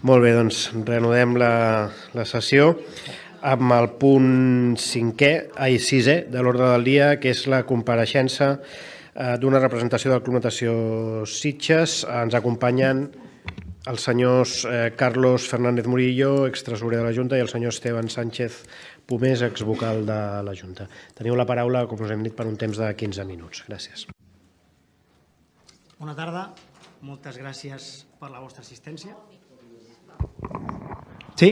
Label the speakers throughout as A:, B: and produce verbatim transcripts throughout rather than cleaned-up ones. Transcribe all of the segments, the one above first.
A: Molt bé, doncs reanudem la, la sessió amb el punt cinquè, ai, sisè de l'ordre del dia, que és la compareixença eh, d'una representació del Club Natació Sitges. Ens acompanyen els senyors eh, Carlos Fernández Murillo, extresorer de la Junta, i el senyor Esteban Sánchez Pomés, exvocal de la Junta. Teniu la paraula, com us hem dit, per un temps de quinze minuts. Gràcies.
B: Bona tarda. Moltes gràcies per la vostra assistència. Sí?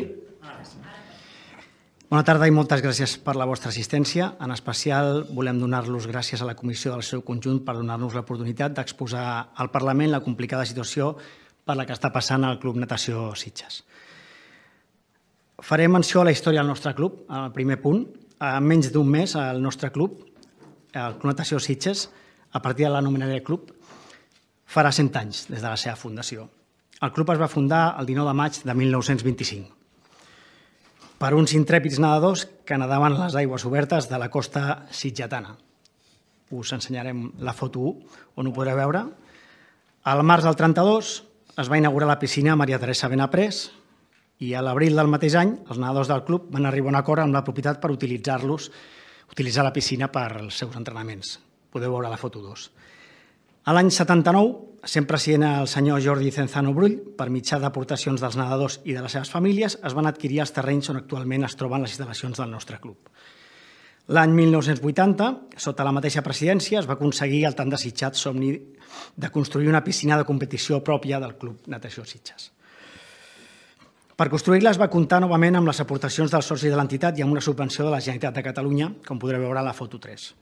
B: Bona tarda i moltes gràcies per la vostra assistència. En especial volem donar-los gràcies a la comissió del seu conjunt per donar-nos l'oportunitat d'exposar al Parlament la complicada situació per la que està passant el Club Natació Sitges. Faré menció a la història del nostre club, al primer punt. En menys d'un mes, el nostre club, el Club Natació Sitges, a partir de l'anomenari club, farà cent anys des de la seva fundació. El club es va fundar el dinou de maig de mil nou-cents vint-i-cinc per uns intrèpids nedadors que nadaven a les aigües obertes de la costa sitgetana. Us ensenyarem la foto u, on ho podreu veure. Al març del trenta-dos es va inaugurar la piscina Maria Teresa Benaprés i a l'abril del mateix any els nedadors del club van arribar a un acord amb la propietat per utilitzar-los, utilitzar la piscina per als seus entrenaments. Podeu veure la foto dos. A l'any setanta-nou, sent president el senyor Jordi Cenzano Brull, per mitjà d'aportacions dels nedadors i de les seves famílies, es van adquirir els terrenys on actualment es troben les instal·lacions del nostre club. L'any mil nou-cents vuitanta, sota la mateixa presidència, es va aconseguir el tan desitjat somni de construir una piscina de competició pròpia del Club Natació Sitges. Per construir-la es va comptar novament amb les aportacions dels socis de l'entitat i amb una subvenció de la Generalitat de Catalunya, com podreu veure a la foto tres.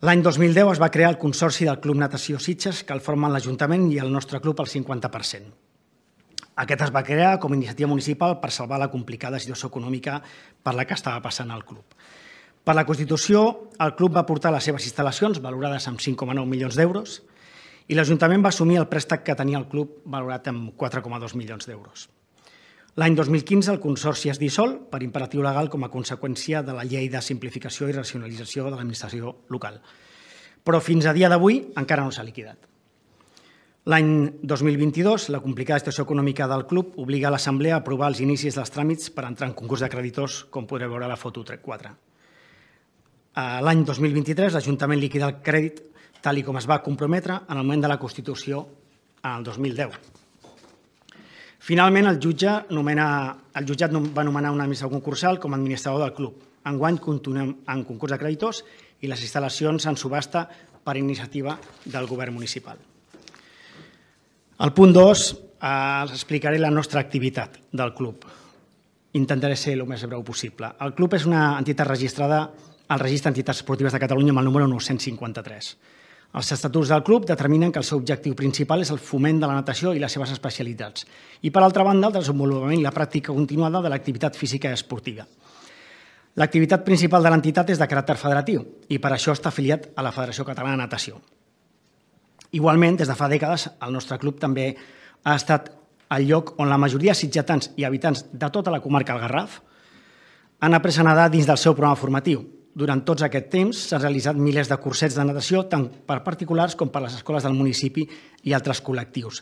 B: L'any dos mil deu es va crear el Consorci del Club Natació Sitges, que el formen l'Ajuntament i el nostre club al cinquanta per cent. Aquest es va crear com a iniciativa municipal per salvar la complicada situació econòmica per la que estava passant el club. Per la Constitució, el club va portar les seves instal·lacions, valorades amb cinc coma nou milions d'euros, i l'Ajuntament va assumir el préstec que tenia el club, valorat amb quatre coma dos milions d'euros. L'any dos mil quinze el Consorci es dissol per imperatiu legal com a conseqüència de la Llei de Simplificació i Racionalització de l'Administració Local. Però fins a dia d'avui encara no s'ha liquidat. L'any dos mil vint-i-dos, la complicada situació econòmica del club obliga l'Assemblea a aprovar els inicis dels tràmits per entrar en concurs de creditors, com podreu veure a la foto quatre. L'any dos mil vint-i-tres, l'Ajuntament liquida el crèdit tal com es va comprometre en el moment de la Constitució en el dos mil deu. Finalment, el jutjat va nomenar un administrador concursal com a administrador del club. Enguany continuem en concurs de creditors i les instal·lacions en subhasta per iniciativa del govern municipal. Al punt dos, els explicaré la nostra activitat del club. Intentaré ser el més breu possible. El club és una entitat registrada al Registre d'Entitats Esportives de Catalunya amb el número nou-cents cinquanta-tres. Els estatuts del club determinen que el seu objectiu principal és el foment de la natació i les seves especialitats i, per altra banda, el desenvolupament i la pràctica continuada de l'activitat física i esportiva. L'activitat principal de l'entitat és de caràcter federatiu i per això està afiliat a la Federació Catalana de Natació. Igualment, des de fa dècades, el nostre club també ha estat el lloc on la majoria de sitgetans i habitants de tota la comarca del Garraf han après a nedar dins del seu programa formatiu. Durant tots aquest temps s'han realitzat milers de cursets de natació tant per particulars com per les escoles del municipi i altres col·lectius.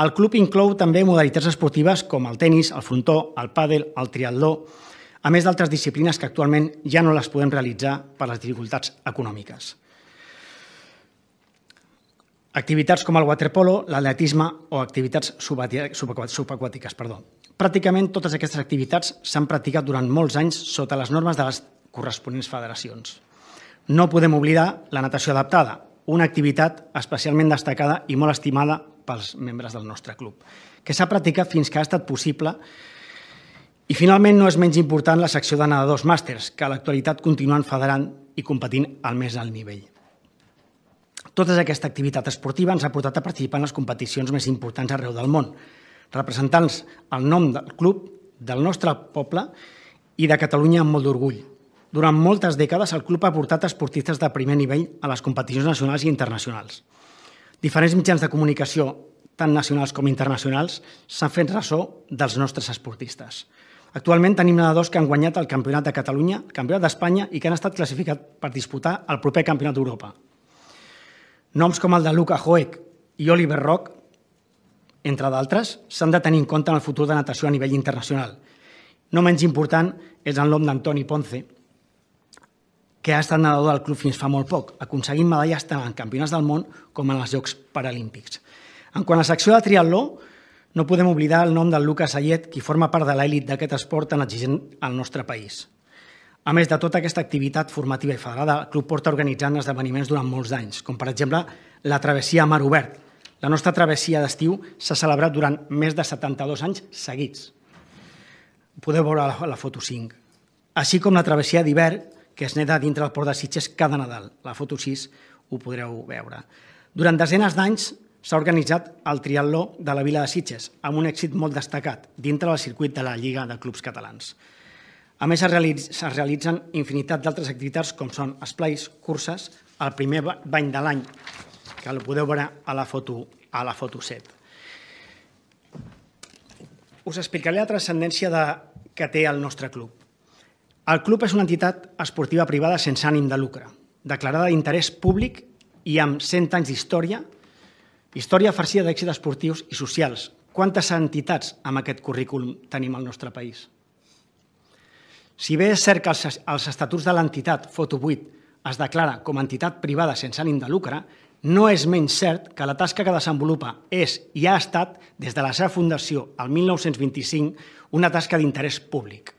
B: El club inclou també modalitats esportives com el tenis, el frontó, el pàdel, el triatló, a més d'altres disciplines que actualment ja no les podem realitzar per les dificultats econòmiques. Activitats com el waterpolo, l'atletisme o activitats subaquàtiques. Pràcticament totes aquestes activitats s'han practicat durant molts anys sota les normes de les corresponents federacions. No podem oblidar la natació adaptada, una activitat especialment destacada i molt estimada pels membres del nostre club, que s'ha practicat fins que ha estat possible i finalment no és menys important la secció de nedadors màsters, que a l'actualitat continuen federant i competint al més alt nivell. Tota aquesta activitat esportiva ens ha portat a participar en les competicions més importants arreu del món, representant el nom del club, del nostre poble i de Catalunya amb molt d'orgull. Durant moltes dècades, el club ha portat esportistes de primer nivell a les competicions nacionals i internacionals. Diferents mitjans de comunicació, tant nacionals com internacionals, s'han fet ressò dels nostres esportistes. Actualment tenim nedadors que han guanyat el Campionat de Catalunya, el Campionat d'Espanya i que han estat classificats per disputar el proper Campionat d'Europa. Noms com el de Luca Hoek i Oliver Rock, entre d'altres, s'han de tenir en compte en el futur de natació a nivell internacional. No menys important és el nom d'Antoni Ponce, que ha estat nedador del club fins fa molt poc, aconseguint medalles tant en campionats del món com en els Jocs Paralímpics. En quant a la secció de triatló, no podem oblidar el nom del Lucas Ayet, qui forma part de l'elit d'aquest esport tan exigent al nostre país. A més de tota aquesta activitat formativa i federada, el club porta organitzant esdeveniments durant molts anys, com per exemple la travessia a mar obert. La nostra travessia d'estiu s'ha celebrat durant més de setanta-dos anys seguits. Podeu veure la foto cinc. Així com la travessia d'hivern, que es neda dintre del port de Sitges cada Nadal. La foto sis ho podreu veure. Durant desenes d'anys s'ha organitzat el triatló de la vila de Sitges, amb un èxit molt destacat dintre del circuit de la Lliga de Clubs Catalans. A més, es realitzen infinitat d'altres activitats com són esplais, curses, el primer bany de l'any, que el podeu veure a la foto, a la foto set. Us explicaré la transcendència de, que té el nostre club. El club és una entitat esportiva privada sense ànim de lucre, declarada d'interès públic i amb cent anys d'història, història farcida d'èxits esportius i socials. Quantes entitats amb aquest currículum tenim al nostre país? Si bé és cert que els estatuts de l'entitat Foto vuit es declara com a entitat privada sense ànim de lucre, no és menys cert que la tasca que desenvolupa és i ha estat, des de la seva fundació el mil nou-cents vint-i-cinc, una tasca d'interès públic.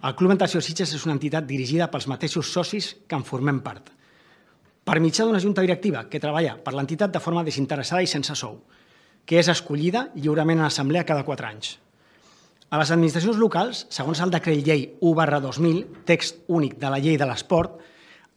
B: El Club Natació Sitges és una entitat dirigida pels mateixos socis que en formem part, per mitjà d'una junta directiva que treballa per l'entitat de forma desinteressada i sense sou, que és escollida lliurement en assemblea cada quatre anys. A les administracions locals, segons el decret llei u barra dos mil, text únic de la llei de l'esport,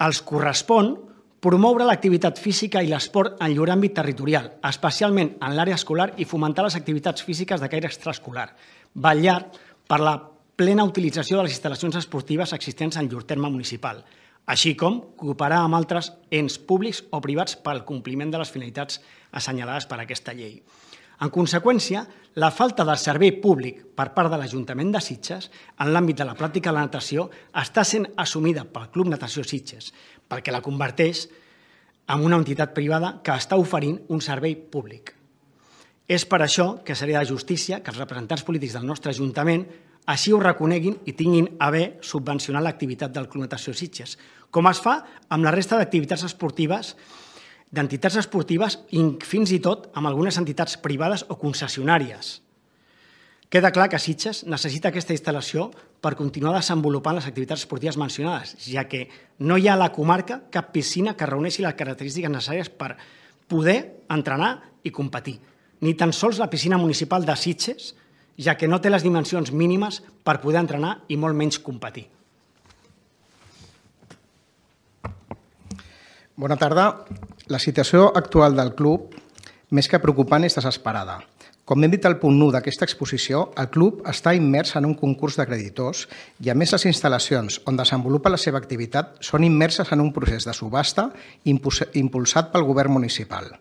B: els correspon promoure l'activitat física i l'esport en llur àmbit territorial, especialment en l'àrea escolar, i fomentar les activitats físiques de caire extraescolar, vetllar per la plena utilització de les instal·lacions esportives existents en llur terme municipal, així com cooperar amb altres ens públics o privats per al compliment de les finalitats assenyalades per aquesta llei. En conseqüència, la falta de servei públic per part de l'Ajuntament de Sitges en l'àmbit de la pràctica de la natació està sent assumida pel Club Natació Sitges, perquè la converteix en una entitat privada que està oferint un servei públic. És per això que seria de justícia que els representants polítics del nostre Ajuntament així ho reconeguin i tinguin a bé subvencionar l'activitat del Club Natació Sitges, com es fa amb la resta d'activitats esportives, d'entitats esportives i fins i tot amb algunes entitats privades o concessionàries. Queda clar que Sitges necessita aquesta instal·lació per continuar desenvolupant les activitats esportives mencionades, ja que no hi ha a la comarca cap piscina que reuneixi les característiques necessàries per poder entrenar i competir, ni tan sols la piscina municipal de Sitges, ja que no té les dimensions mínimes per poder entrenar i molt menys competir.
C: Bona tarda. La situació actual del club, més que preocupant, és desesperada. Com hem dit al punt u d'aquesta exposició, el club està immers en un concurs de creditors i, a més, les instal·lacions on desenvolupa la seva activitat són immerses en un procés de subhasta impulsat pel govern municipal.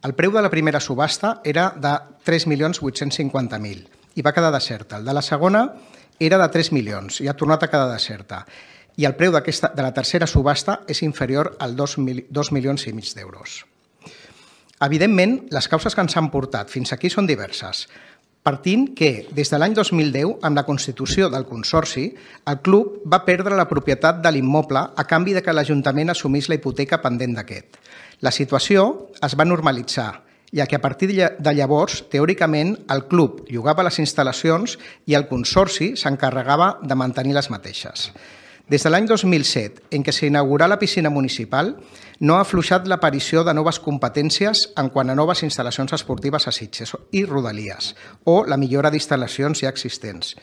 C: El preu de la primera subhasta era de tres milions vuit-cents cinquanta mil i va quedar deserta. El de la segona era de tres milions i ha tornat a quedar deserta. I el preu de la tercera subhasta és inferior als dos milions i mig d'euros. Evidentment, les causes que ens han portat fins aquí són diverses, partint que, des de l'any dos mil deu, amb la constitució del Consorci, el club va perdre la propietat de l'immoble a canvi de que l'Ajuntament assumís la hipoteca pendent d'aquest. La situació es va normalitzar, ja que a partir de llavors, teòricament, el club llogava les instal·lacions i el Consorci s'encarregava de mantenir les mateixes. Des de l'any dos mil set, en què s'inaugurà la piscina municipal, no ha afluixat l'aparició de noves competències en quant a noves instal·lacions esportives a Sitges i Rodalies, o la millora d'instal·lacions ja existents.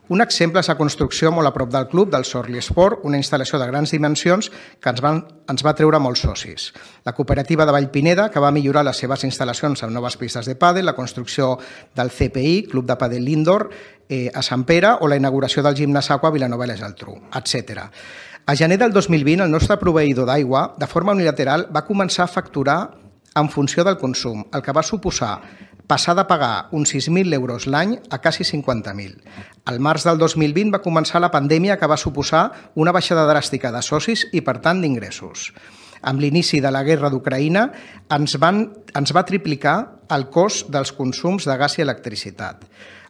C: Un exemple és la construcció molt a prop del club del Sorli Esport, una instal·lació de grans dimensions que ens, van, ens va treure molts socis. La cooperativa de Vallpineda, que va millorar les seves instal·lacions amb noves pistes de pàdel, la construcció del C P I, Club de Pàdel Indoor, eh, a Sant Pere, o la inauguració del gimnàs Aqua a Vilanova i la Geltrú, etcètera. A gener del dos mil vint, el nostre proveïdor d'aigua, de forma unilateral, va començar a facturar en funció del consum, el que va suposar passar de pagar uns sis mil euros l'any a quasi cinquanta mil. Al març del dos mil vint va començar la pandèmia que va suposar una baixada dràstica de socis i, per tant, d'ingressos. Amb l'inici de la guerra d'Ucraïna ens, van, ens va triplicar el cost dels consums de gas i electricitat.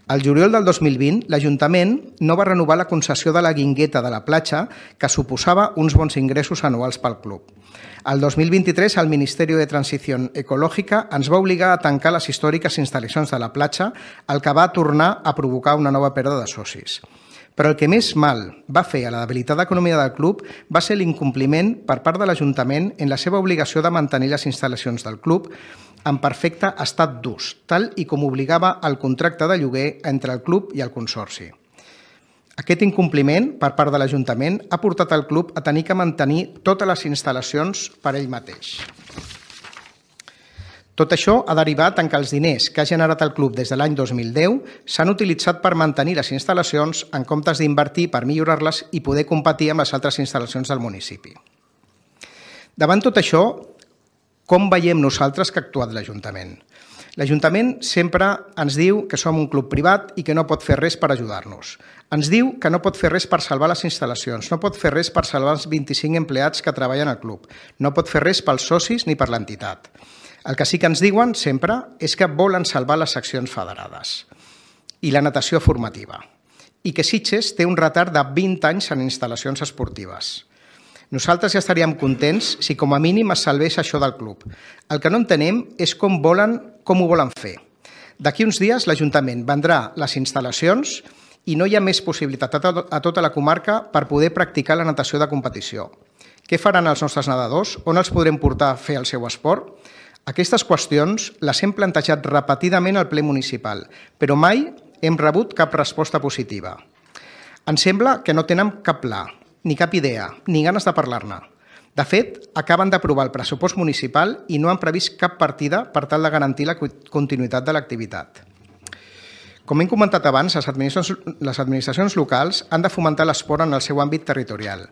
C: Al juliol del dos mil vint, l'Ajuntament no va renovar la concessió de la Guingueta de la platja, que suposava uns bons ingressos anuals pel club. El dos mil vint-i-tres, el Ministeri de Transició Ecològica ens va obligar a tancar les històriques instal·lacions de la platja, el que va tornar a provocar una nova pèrdua de socis. Però el que més mal va fer a la debilitat d'economia del club va ser l'incompliment per part de l'Ajuntament en la seva obligació de mantenir les instal·lacions del club en perfecte estat d'ús, tal i com obligava el contracte de lloguer entre el club i el Consorci. Aquest incompliment per part de l'Ajuntament ha portat el club a tenir que mantenir totes les instal·lacions per ell mateix. Tot això ha derivat en que els diners que ha generat el club des de l'any dos mil deu s'han utilitzat per mantenir les instal·lacions en comptes d'invertir per millorar-les i poder competir amb les altres instal·lacions del municipi. Davant tot això, com veiem nosaltres que ha actuat l'Ajuntament? L'Ajuntament sempre ens diu que som un club privat i que no pot fer res per ajudar-nos. Ens diu que no pot fer res per salvar les instal·lacions, no pot fer res per salvar els vint-i-cinc empleats que treballen al club, no pot fer res pels socis ni per l'entitat. El que sí que ens diuen sempre és que volen salvar les seccions federades i la natació formativa i que Sitges té un retard de vint anys en instal·lacions esportives. Nosaltres ja estaríem contents si com a mínim es salvés això del club. El que no entenem és com, volen, com ho volen fer. D'aquí uns dies l'Ajuntament vendrà les instal·lacions i no hi ha més possibilitat a tota la comarca per poder practicar la natació de competició. Què faran els nostres nedadors? On els podrem portar a fer el seu esport? Aquestes qüestions les hem plantejat repetidament al ple municipal, però mai hem rebut cap resposta positiva. Ens sembla que no tenen cap pla, ni cap idea, ni ganes de parlar-ne. De fet, acaben d'aprovar el pressupost municipal i no han previst cap partida per tal de garantir la continuïtat de l'activitat. Com hem comentat abans, les administracions, les administracions locals han de fomentar l'esport en el seu àmbit territorial.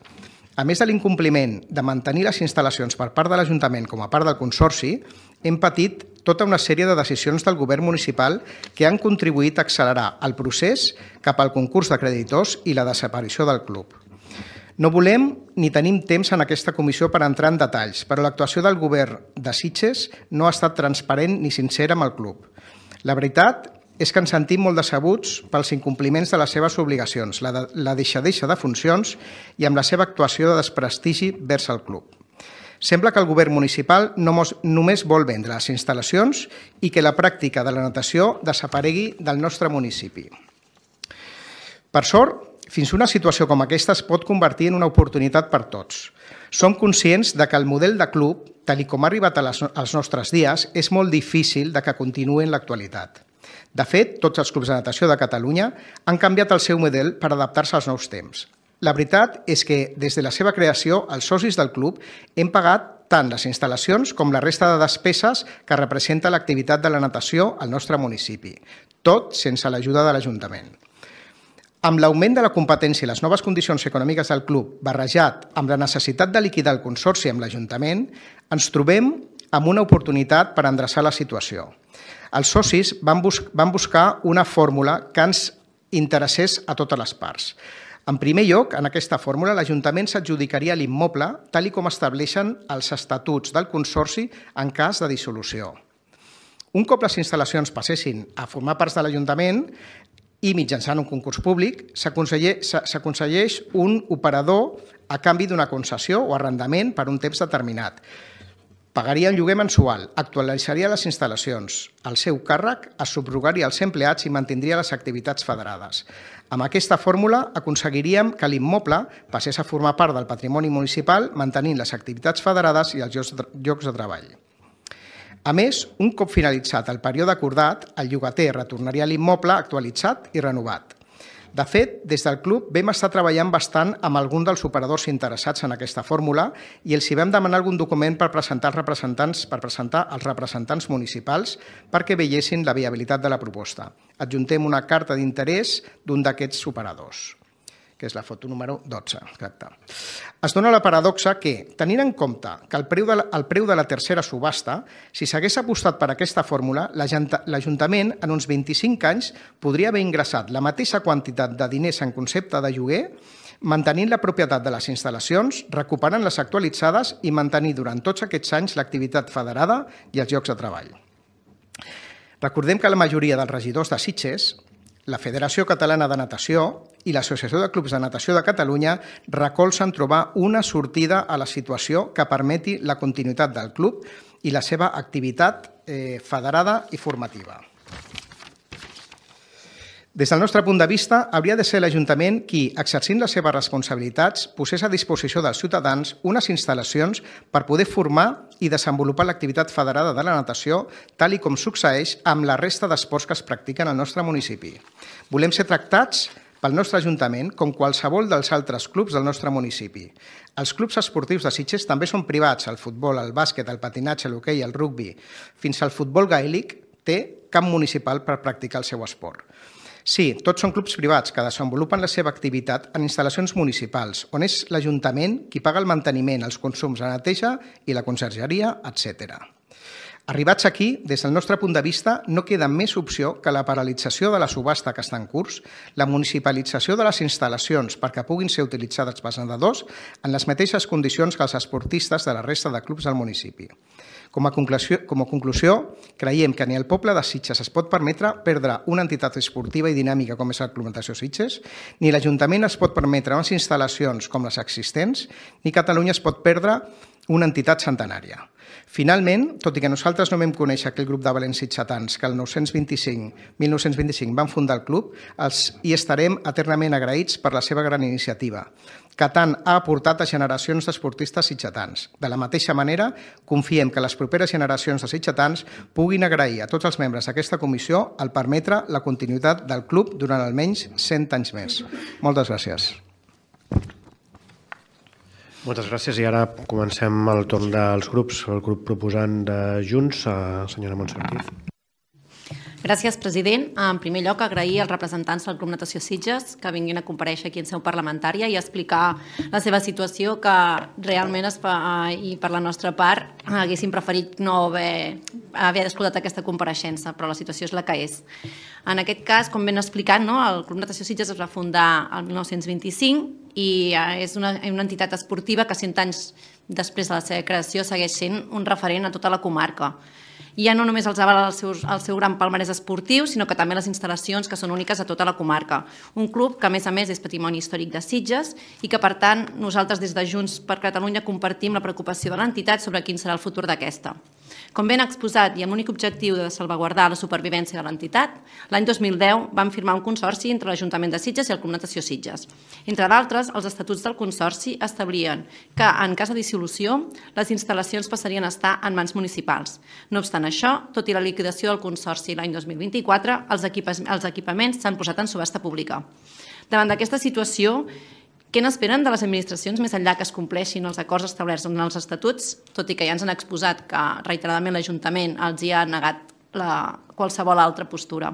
C: A més de l'incompliment de mantenir les instal·lacions per part de l'Ajuntament com a part del Consorci, hem patit tota una sèrie de decisions del govern municipal que han contribuït a accelerar el procés cap al concurs de creditors i la desaparició del club. No volem ni tenim temps en aquesta comissió per entrar en detalls, però l'actuació del govern de Sitges no ha estat transparent ni sincera amb el club. La veritat és que ens sentim molt decebuts pels incompliments de les seves obligacions, la, de, la deixadeixa de funcions i amb la seva actuació de desprestigi vers el club. Sembla que el govern municipal no mos, només vol vendre les instal·lacions i que la pràctica de la natació desaparegui del nostre municipi. Per sort, fins una situació com aquesta es pot convertir en una oportunitat per tots. Som conscients de que el model de club, tal com ha arribat als nostres dies, és molt difícil de que continuï en l'actualitat. De fet, tots els clubs de natació de Catalunya han canviat el seu model per adaptar-se als nous temps. La veritat és que, des de la seva creació, els socis del club hem pagat tant les instal·lacions com la resta de despeses que representa l'activitat de la natació al nostre municipi, tot sense l'ajuda de l'Ajuntament. Amb l'augment de la competència i les noves condicions econòmiques del club, barrejat amb la necessitat de liquidar el Consorci amb l'Ajuntament, ens trobem amb una oportunitat per endreçar la situació. Els socis van, bus van buscar una fórmula que ens interessés a totes les parts. En primer lloc, en aquesta fórmula, l'Ajuntament s'adjudicaria l'immoble tal com estableixen els estatuts del Consorci en cas de dissolució. Un cop les instal·lacions passessin a formar parts de l'Ajuntament i mitjançant un concurs públic, s'aconselleix un operador a canvi d'una concessió o arrendament per un temps determinat. Pagaria un lloguer mensual, actualitzaria les instal·lacions, el seu càrrec, es subrogaria els empleats i mantindria les activitats federades. Amb aquesta fórmula aconseguiríem que l'immoble passés a formar part del patrimoni municipal mantenint les activitats federades i els llocs de treball. A més, un cop finalitzat el període acordat, el llogater retornaria l'immoble actualitzat i renovat. De fet, des del club vam estar treballant bastant amb algun dels operadors interessats en aquesta fórmula i els hi vam demanar algun document per presentar als representants, per presentar als representants municipals perquè veiessin la viabilitat de la proposta. Adjuntem una carta d'interès d'un d'aquests operadors, que és la foto número dotze. Exacte. Es dona la paradoxa que, tenint en compte que el preu de la, el preu de la tercera subhasta, si s'hagués apostat per aquesta fórmula, l'Ajuntament en uns vint-i-cinc anys podria haver ingressat la mateixa quantitat de diners en concepte de lloguer mantenint la propietat de les instal·lacions, recuperant les actualitzades i mantenir durant tots aquests anys l'activitat federada i els llocs de treball. Recordem que la majoria dels regidors de Sitges, la Federació Catalana de Natació i l'Associació de Clubs de Natació de Catalunya recolzen trobar una sortida a la situació que permeti la continuïtat del club i la seva activitat eh, federada i formativa. Des del nostre punt de vista, hauria de ser l'Ajuntament qui, exercint les seves responsabilitats, posés a disposició dels ciutadans unes instal·lacions per poder formar i desenvolupar l'activitat federada de la natació, tal i com succeeix amb la resta d'esports que es practiquen al nostre municipi. Volem ser tractats pel nostre Ajuntament com qualsevol dels altres clubs del nostre municipi. Els clubs esportius de Sitges també són privats, el futbol, el bàsquet, el patinatge, l'hoquei, el rugbi. Fins al futbol gaèlic té camp municipal per practicar el seu esport. Sí, tots són clubs privats que desenvolupen la seva activitat en instal·lacions municipals, on és l'Ajuntament qui paga el manteniment, els consums, la neteja i la consergeria, etcètera. Arribats aquí, des del nostre punt de vista, no queda més opció que la paralització de la subhasta que està en curs, la municipalització de les instal·lacions perquè puguin ser utilitzades pels nedadors en les mateixes condicions que els esportistes de la resta de clubs del municipi. Com a conclusió, com a conclusió, creiem que ni el poble de Sitges es pot permetre perdre una entitat esportiva i dinàmica com és el Club Natació Sitges, ni l'Ajuntament es pot permetre unes instal·lacions com les existents, ni Catalunya es pot perdre una entitat centenària. Finalment, tot i que nosaltres no vam conèixer aquell grup de valents sitgetans que el mil nou-cents vint-i-cinc van fundar el club, els hi estarem eternament agraïts per la seva gran iniciativa, que tant ha aportat a generacions d'esportistes sitgetans. De la mateixa manera, confiem que les properes generacions de sitgetans puguin agrair a tots els membres d'aquesta comissió el permetre la continuïtat del club durant almenys cent anys més. Moltes gràcies.
A: Moltes gràcies i ara comencem el torn dels grups. El grup proposant de Junts, la senyora Montse Ortiz.
D: Gràcies, president. En primer lloc, agrair als representants del Club Natació Sitges que vinguin a comparèixer aquí en seu parlamentària i explicar la seva situació, que realment es fa, i per la nostra part haguéssim preferit no haver, haver escoltat aquesta compareixença, però la situació és la que és. En aquest cas, com ben explicat, no, el Club Natació Sitges es va fundar el mil nou-cents vint-i-cinc i és una, una entitat esportiva que cent anys després de la seva creació segueix sent un referent a tota la comarca. I ja no només els avala el seu, el seu gran palmarès esportiu, sinó que també les instal·lacions que són úniques a tota la comarca. Un club que, a més a més, és patrimoni històric de Sitges i que, per tant, nosaltres des de Junts per Catalunya compartim la preocupació de l'entitat sobre quin serà el futur d'aquesta. Com ben exposat i amb l'únic objectiu de salvaguardar la supervivència de l'entitat, l'any dos mil deu vam firmar un consorci entre l'Ajuntament de Sitges i el Club Natació Sitges. Entre d'altres, els estatuts del consorci establien que, en cas de dissolució, les instal·lacions passarien a estar en mans municipals. No obstant això, tot i la liquidació del consorci l'any dos mil vint-i-quatre, els equipaments s'han posat en subhasta pública. Davant d'aquesta situació, què n'esperen de les administracions més enllà que es compleixin els acords establerts en els estatuts, tot i que ja ens han exposat que reiteradament l'Ajuntament els hi ha negat la, qualsevol altra postura?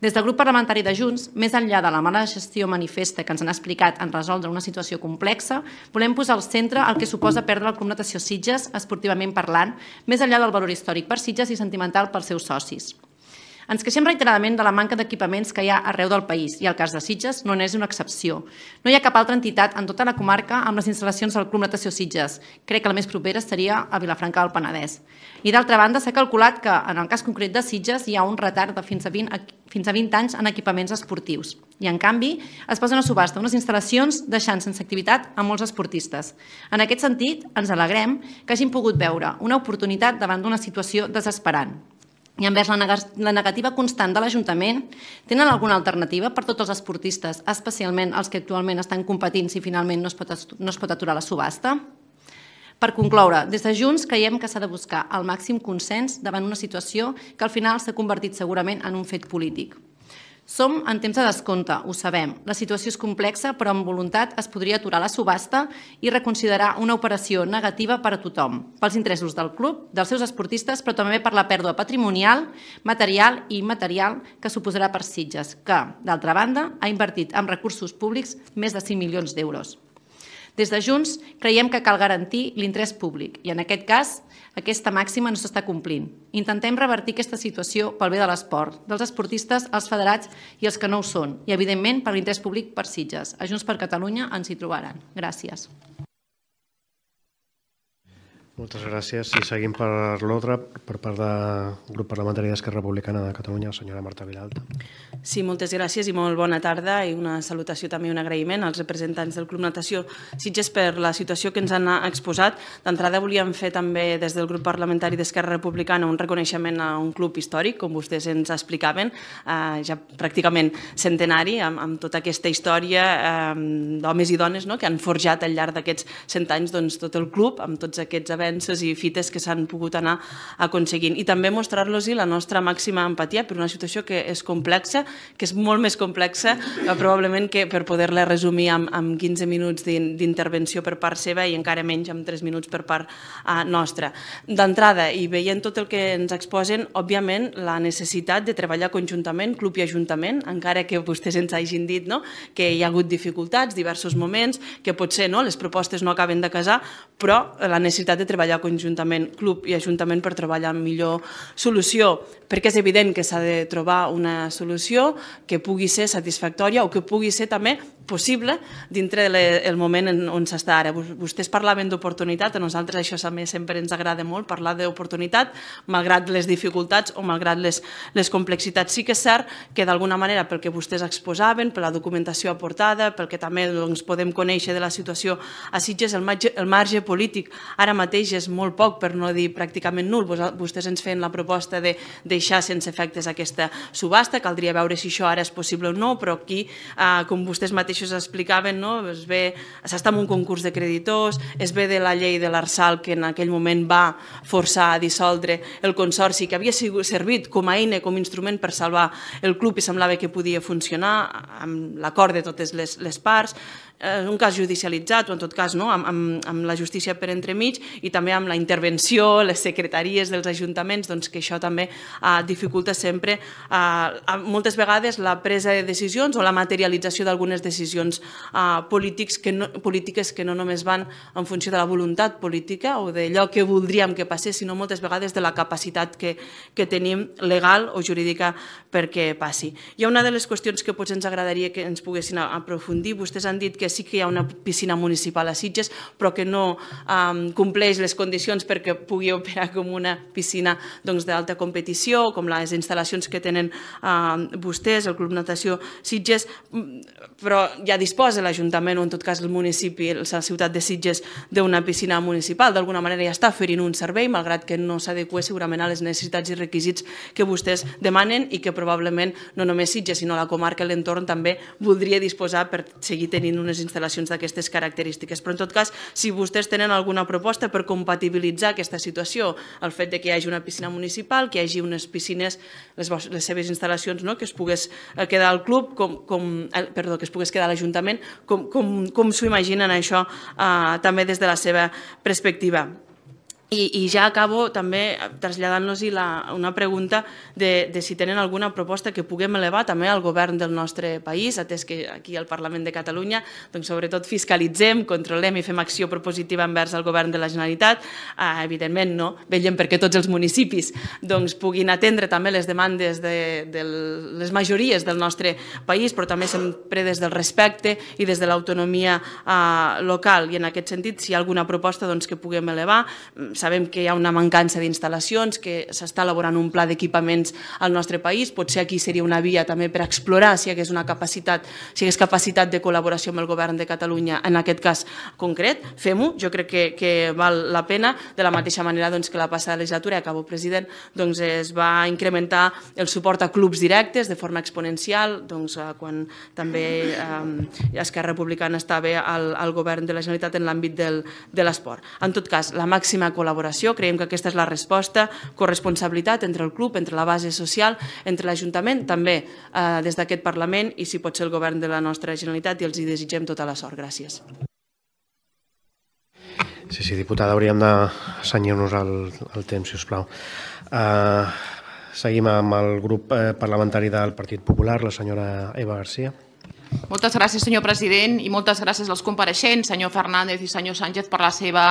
D: Des del grup parlamentari de Junts, més enllà de la mala gestió manifesta que ens han explicat en resoldre una situació complexa, volem posar al centre el que suposa perdre el Club Natació Sitges, esportivament parlant, més enllà del valor històric per Sitges i sentimental pels seus socis. Ens queixem reiteradament de la manca d'equipaments que hi ha arreu del país i el cas de Sitges no n'és una excepció. No hi ha cap altra entitat en tota la comarca amb les instal·lacions del Club Natació Sitges. Crec que la més propera seria a Vilafranca del Penedès. I d'altra banda, s'ha calculat que en el cas concret de Sitges hi ha un retard de fins a vint, fins a vint anys en equipaments esportius. I en canvi, es posen a subhasta unes instal·lacions deixant sense activitat a molts esportistes. En aquest sentit, ens alegrem que hagin pogut veure una oportunitat davant d'una situació desesperant. I envers la negativa constant de l'Ajuntament, tenen alguna alternativa per tots els esportistes, especialment els que actualment estan competint si finalment no es pot, no es pot aturar la subhasta? Per concloure, des de Junts creiem que s'ha de buscar el màxim consens davant una situació que al final s'ha convertit segurament en un fet polític. Som en temps de descompte, ho sabem. La situació és complexa, però amb voluntat es podria aturar la subhasta i reconsiderar una operació negativa per a tothom, pels interessos del club, dels seus esportistes, però també per la pèrdua patrimonial, material i immaterial que suposarà per Sitges, que, d'altra banda, ha invertit en recursos públics més de cinc milions d'euros. Des de Junts creiem que cal garantir l'interès públic i, en aquest cas, Aquesta màxima no s'està complint. Intentem revertir aquesta situació pel bé de l'esport, dels esportistes, els federats i els que no ho són, i, evidentment, per l'interès públic per Sitges. A Junts per Catalunya ens hi trobaran. Gràcies.
A: Moltes gràcies. I seguim per l'ordre, per part del grup parlamentari d'Esquerra Republicana de Catalunya, la senyora Marta Vilalta.
E: Sí, moltes gràcies i molt bona tarda i una salutació també i un agraïment als representants del Club Natació Sitges per la situació que ens han exposat. D'entrada volíem fer també des del grup parlamentari d'Esquerra Republicana un reconeixement a un club històric, com vostès ens explicaven, eh, ja pràcticament centenari, amb, amb tota aquesta història eh, d'homes i dones, no?, que han forjat al llarg d'aquests cent anys doncs, tot el club, amb tots aquests avenços i fites que s'han pogut anar aconseguint. I també mostrar-los la nostra màxima empatia per una situació que és complexa, que és molt més complexa, eh, probablement que per poder-la resumir amb, amb quinze minuts d'intervenció per part seva i encara menys amb tres minuts per part eh, nostra. D'entrada, i veient tot el que ens exposen, òbviament, la necessitat de treballar conjuntament, club i ajuntament, encara que vostès ens hagin dit, no?, que hi ha hagut dificultats, diversos moments, que potser no, les propostes no acaben de casar, però la necessitat de treballar treballar conjuntament, club i ajuntament, per trobar la millor solució, perquè és evident que s'ha de trobar una solució que pugui ser satisfactòria o que pugui ser també possible dintre del moment on s'està ara. Vostès parlaven d'oportunitat, a nosaltres això també sempre ens agrada molt, parlar d'oportunitat, malgrat les dificultats o malgrat les, les complexitats. Sí que és cert que d'alguna manera, pel que vostès exposaven, per la documentació aportada, pel que també doncs, podem conèixer de la situació a Sitges, el marge, el marge polític ara mateix és molt poc, per no dir pràcticament nul. Vostès ens feien la proposta de deixar sense efectes aquesta subhasta, caldria veure si això ara és possible o no, però aquí, eh, com vostès mateixos explicaven, no? S'està en un concurs de creditors, es ve de la llei de l'Arsal que en aquell moment va forçar a dissoldre el consorci, que havia servit com a eina, com a instrument per salvar el club i semblava que podia funcionar amb l'acord de totes les, les parts, un cas judicialitzat o en tot cas no, amb, amb, amb la justícia per entremig i també amb la intervenció, les secretaries dels ajuntaments, doncs que això també eh, dificulta sempre eh, moltes vegades la presa de decisions o la materialització d'algunes decisions eh, polítics que no, polítiques que no només van en funció de la voluntat política o d'allò que voldríem que passés, sinó moltes vegades de la capacitat que, que tenim legal o jurídica perquè passi. Hi ha una de les qüestions que potser ens agradaria que ens poguessin aprofundir. Vostès han dit que sí que hi ha una piscina municipal a Sitges, però que no um, compleix les condicions perquè pugui operar com una piscina doncs, d'alta competició, com les instal·lacions que tenen uh, vostès, el Club Natació Sitges, però ja disposa l'Ajuntament o en tot cas el municipi, la ciutat de Sitges, d'una piscina municipal. D'alguna manera ja està oferint un servei, malgrat que no s'adequa segurament a les necessitats i requisits que vostès demanen i que probablement no només Sitges, sinó la comarca i l'entorn també voldria disposar per seguir tenint unes instal·lacions d'aquestes característiques. Però en tot cas, si vostès tenen alguna proposta per compatibilitzar aquesta situació, el fet de que hi hagi una piscina municipal, que hi hagi unes piscines, les, les seves instal·lacions, no? que es pogués quedar al club, com, com, perdó, que es pogués quedar a l'Ajuntament, com, com, com s'ho imaginen això eh, també des de la seva perspectiva. I, I ja acabo també traslladant-los una pregunta de, de si tenen alguna proposta que puguem elevar també al govern del nostre país, atès que aquí al Parlament de Catalunya doncs, sobretot fiscalitzem, controlem i fem acció propositiva envers el govern de la Generalitat. Eh, evidentment, no? Vetllem perquè tots els municipis doncs, puguin atendre també les demandes de, de les majories del nostre país, però també sempre des del respecte i des de l'autonomia eh, local. I en aquest sentit, si hi ha alguna proposta doncs, que puguem elevar, sabem que hi ha una mancança d'instal·lacions, que s'està elaborant un pla d'equipaments al nostre país, potser aquí seria una via també per explorar si hi hagués una capacitat, si hi hagués capacitat de col·laboració amb el govern de Catalunya en aquest cas concret, fem-ho, jo crec que, que val la pena, de la mateixa manera doncs, que la passada legislatura, acabo president, doncs es va incrementar el suport a clubs directes de forma exponencial, doncs, quan també eh, Esquerra Republicana estava al, al govern de la Generalitat en l'àmbit de l'esport. En tot cas, la màxima col·laboració col·laboració, creiem que aquesta és la resposta, corresponsabilitat entre el club, entre la base social, entre l'Ajuntament, també eh, des d'aquest Parlament i si pot ser el govern de la nostra Generalitat i els hi desitgem tota la sort. Gràcies.
A: Sí, sí, diputada, hauríem de cenyir-nos al, al temps, si us plau. Uh, seguim amb el grup eh, parlamentari del Partit Popular, la senyora Eva García.
F: Moltes gràcies, senyor president, i moltes gràcies als compareixents, senyor Fernández i senyor Sánchez, per la seva,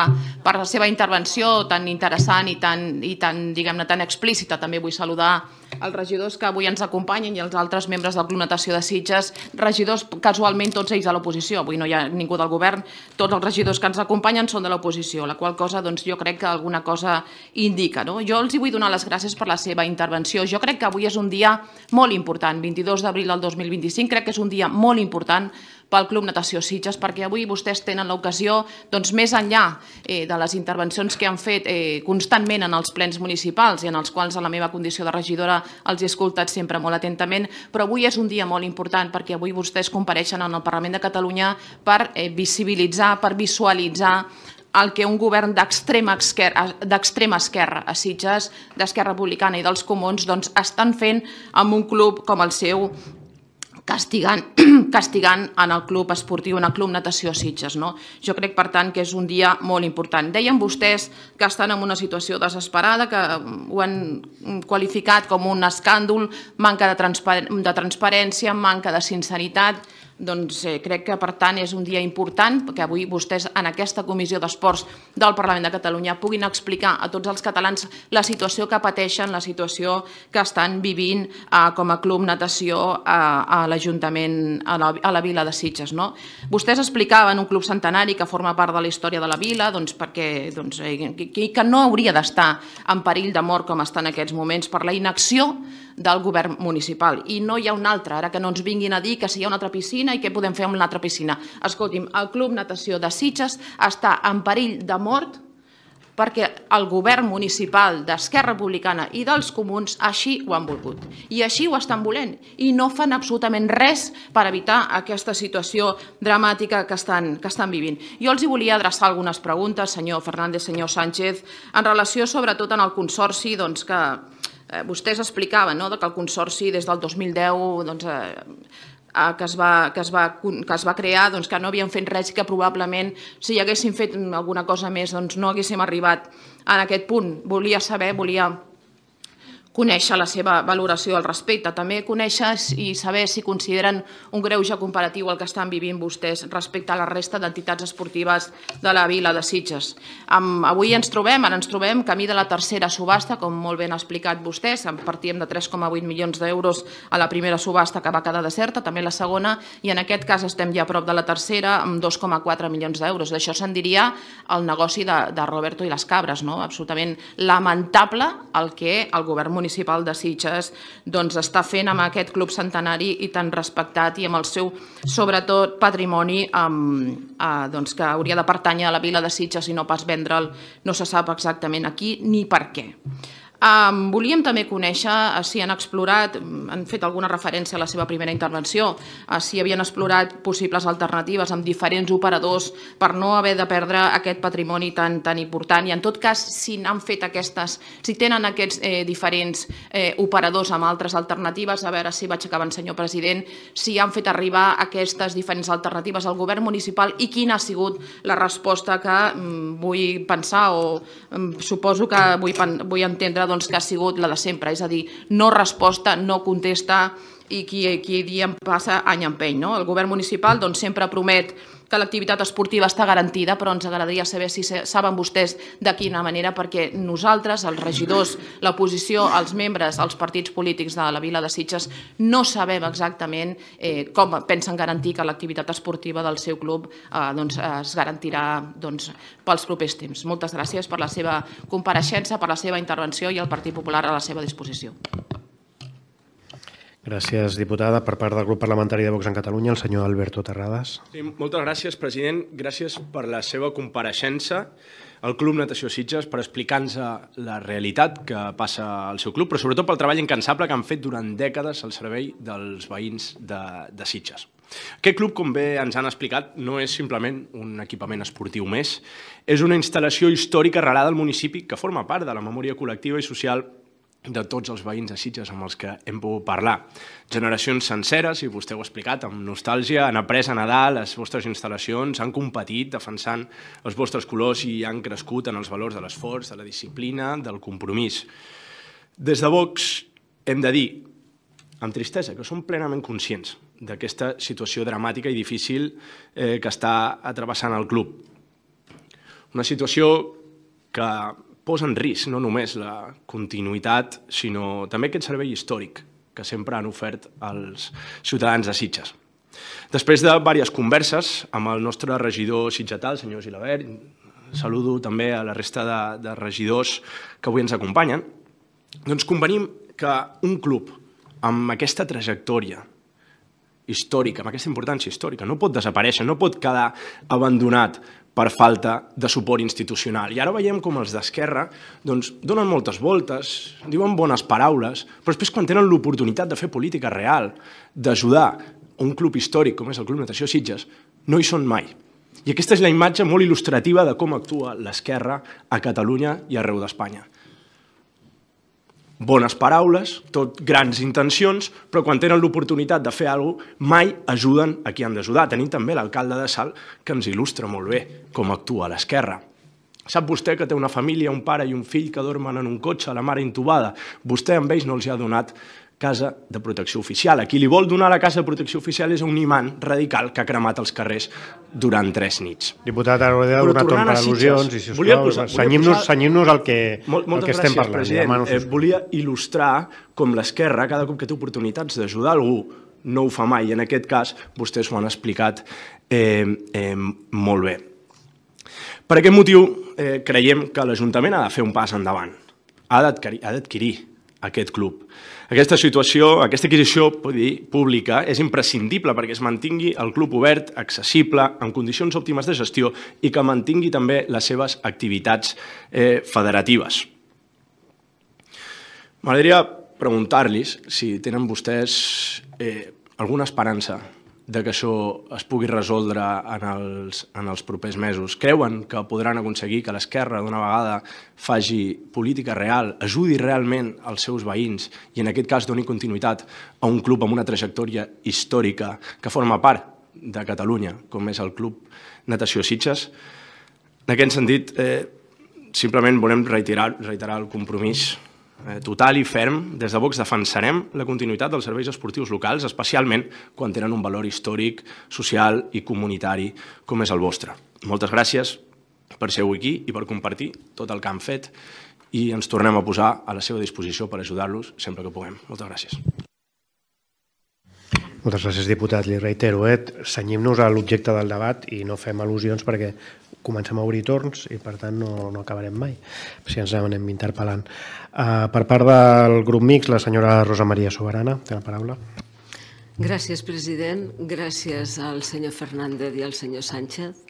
F: per la seva intervenció tan interessant i tan, i tan, diguem-ne, tan explícita. També vull saludar els regidors que avui ens acompanyen i els altres membres del Club Natació de Sitges, regidors casualment tots ells de l'oposició. Avui no hi ha ningú del govern, tots els regidors que ens acompanyen són de l'oposició, la qual cosa doncs, jo crec que alguna cosa indica. No? Jo els hi vull donar les gràcies per la seva intervenció. Jo crec que avui és un dia molt important, vint-i-dos d'abril del dos mil vint-i-cinc, crec que és un dia molt important pel Club Natació Sitges, perquè avui vostès tenen l'ocasió, doncs, més enllà eh, de les intervencions que han fet eh, constantment en els plens municipals i en els quals a la meva condició de regidora els he escoltat sempre molt atentament, però avui és un dia molt important perquè avui vostès compareixen en el Parlament de Catalunya per eh, visibilitzar, per visualitzar el que un govern d'extrema esquerra, d'extrema esquerra a Sitges, d'Esquerra Republicana i dels Comuns, doncs, estan fent amb un club com el seu, castigant, castigant en el club esportiu, en el Club Natació Sitges. No? Jo crec, per tant, que és un dia molt important. Deien vostès que estan en una situació desesperada, que ho han qualificat com un escàndol, manca de, transpar de transparència, manca de sinceritat. Doncs eh, crec que, per tant, és un dia important que avui vostès en aquesta Comissió d'Esports del Parlament de Catalunya puguin explicar a tots els catalans la situació que pateixen, la situació que estan vivint eh, com a Club Natació a, a l'Ajuntament, a, la, a la vila de Sitges. No? Vostès explicaven un club centenari que forma part de la història de la vila, doncs, perquè doncs, eh, que, que no hauria d'estar en perill de mort com està en aquests moments per la inacció del govern municipal. I no hi ha un altre, ara que no ens vinguin a dir que si hi ha una altra piscina i què podem fer amb una altra piscina. Escolti'm, el Club Natació de Sitges està en perill de mort perquè el govern municipal d'Esquerra Republicana i dels Comuns així ho han volgut. I així ho estan volent. I no fan absolutament res per evitar aquesta situació dramàtica que estan, que estan vivint. Jo els hi volia adreçar algunes preguntes, senyor Fernández, senyor Sánchez, en relació sobretot en el consorci doncs, que eh, vostès explicaven, no?, que el consorci des del dos mil deu doncs, eh, que es va, que es va, que es va crear, doncs, que no havien fet res i que probablement si hi haguessin fet alguna cosa més doncs, no haguéssim arribat en aquest punt. Volia saber, volia conèixer la seva valoració al respecte, també conèixer i saber si consideren un greuge comparatiu el que estan vivint vostès respecte a la resta d'entitats esportives de la vila de Sitges. Avui ens trobem, ara ens trobem camí de la tercera subhasta, com molt ben ha explicat vostès, partíem de tres coma vuit milions d'euros a la primera subhasta que va quedar deserta, també la segona, i en aquest cas estem ja a prop de la tercera amb dos coma quatre milions d'euros. D'això se'n diria el negoci de, de Roberto i les cabres, no? Absolutament lamentable el que el govern municipal municipal de Sitges doncs, està fent amb aquest club centenari i tan respectat i amb el seu, sobretot, patrimoni um, uh, doncs, que hauria de pertànyer a la vila de Sitges i no pas vendre'l, no se sap exactament aquí ni per què. Um, volíem també conèixer uh, si han explorat, han fet alguna referència a la seva primera intervenció, uh, si havien explorat possibles alternatives amb diferents operadors per no haver de perdre aquest patrimoni tan, tan important i en tot cas si han fet aquestes, si tenen aquests eh, diferents eh, operadors amb altres alternatives, a veure si vaig acabant, senyor president, si han fet arribar aquestes diferents alternatives al govern municipal i quina ha sigut la resposta que mm, vull pensar o mm, suposo que vull, vull entendre doncs, que ha sigut la de sempre, és a dir, no resposta, no contesta i qui, qui dia passa any empeny. No? El govern municipal doncs, sempre promet que l'activitat esportiva està garantida, però ens agradaria saber si saben vostès de quina manera, perquè nosaltres, els regidors, l'oposició, els membres, els partits polítics de la vila de Sitges, no sabem exactament eh, com pensen garantir que l'activitat esportiva del seu club eh, doncs, es garantirà doncs, pels propers temps. Moltes gràcies per la seva compareixença, per la seva intervenció i el Partit Popular a la seva disposició.
A: Gràcies, diputada. Per part del grup parlamentari de Vox en Catalunya, el senyor Alberto Terrades.
G: Sí, moltes gràcies, president. Gràcies per la seva compareixença al Club Natació Sitges, per explicar-nos la realitat que passa al seu club, però sobretot pel treball incansable que han fet durant dècades al servei dels veïns de, de Sitges. Aquest club, com bé ens han explicat, no és simplement un equipament esportiu més, és una instal·lació històrica arrelada al municipi que forma part de la memòria col·lectiva i social de tots els veïns de Sitges amb els que hem pogut parlar. Generacions senceres, i vostè ho ha explicat, amb nostàlgia, han après a nedar les vostres instal·lacions, han competit defensant els vostres colors i han crescut en els valors de l'esforç, de la disciplina, del compromís. Des de Vox hem de dir amb tristesa, que som plenament conscients d'aquesta situació dramàtica i difícil eh, que està atrevessant el club. Una situació que posa en risc no només la continuïtat, sinó també aquest servei històric que sempre han ofert als ciutadans de Sitges. Després de diverses converses amb el nostre regidor sitgetà, el senyor Gilabert, saludo també a la resta de, de regidors que avui ens acompanyen, doncs convenim que un club amb aquesta trajectòria històrica, amb aquesta importància històrica, no pot desaparèixer, no pot quedar abandonat per falta de suport institucional. I ara veiem com els d'Esquerra doncs, donen moltes voltes, diuen bones paraules, però després quan tenen l'oportunitat de fer política real, d'ajudar un club històric com és el Club Natació Sitges, no hi són mai. I aquesta és la imatge molt il·lustrativa de com actua l'Esquerra a Catalunya i arreu d'Espanya. Bones paraules, tot grans intencions, però quan tenen l'oportunitat de fer alguna cosa, mai ajuden a qui han d'ajudar. Tenim també l'alcalde de Salt, que ens il·lustra molt bé com actua l'Esquerra. Sap vostè que té una família, un pare i un fill que dormen en un cotxe, la mare intubada. Vostè amb ells no els ha donat casa de protecció oficial. A qui li vol donar la casa de protecció oficial és un imant radical que ha cremat els carrers durant tres nits.
A: Diputat, ara he donat un per al·lusions i, sisplau, senyim-nos al que estem parlant.
G: President, volia il·lustrar com l'Esquerra, cada cop que té oportunitats d'ajudar algú, no ho fa mai, i en aquest cas vostès ho han explicat molt bé. Per aquest motiu creiem que l'Ajuntament ha de fer un pas endavant, ha d'adquirir aquest club. Aquesta situació, aquesta adquisició pública és imprescindible perquè es mantingui el club obert, accessible, en condicions òptimes de gestió i que mantingui també les seves activitats federatives. M'agradaria preguntar-los si tenen vostès alguna esperança de que això es pugui resoldre en els propers mesos. Creuen que podran aconseguir que l'Esquerra d'una vegada faci política real, ajudi realment els seus veïns i en aquest cas doni continuïtat a un club amb una trajectòria històrica que forma part de Catalunya, com és el Club Natació Sitges? En aquest sentit, simplement volem reiterar el compromís total i ferm. Des de Vox defensarem la continuïtat dels serveis esportius locals, especialment quan tenen un valor històric, social i comunitari com és el vostre. Moltes gràcies per ser avui aquí i per compartir tot el que han fet i ens tornem a posar a la seva disposició per ajudar-los sempre que puguem. Moltes gràcies.
A: Moltes gràcies, diputat. Li reitero, cenyim-nos a l'objecte del debat i no fem al·lusions perquè comencem a obrir torns i, per tant, no acabarem mai, si ens anem interpel·lant. Per part del grup mixt, la senyora Rosa Maria Soberana, té la paraula.
H: Gràcies, president. Gràcies al senyor Fernández i al senyor Sánchez.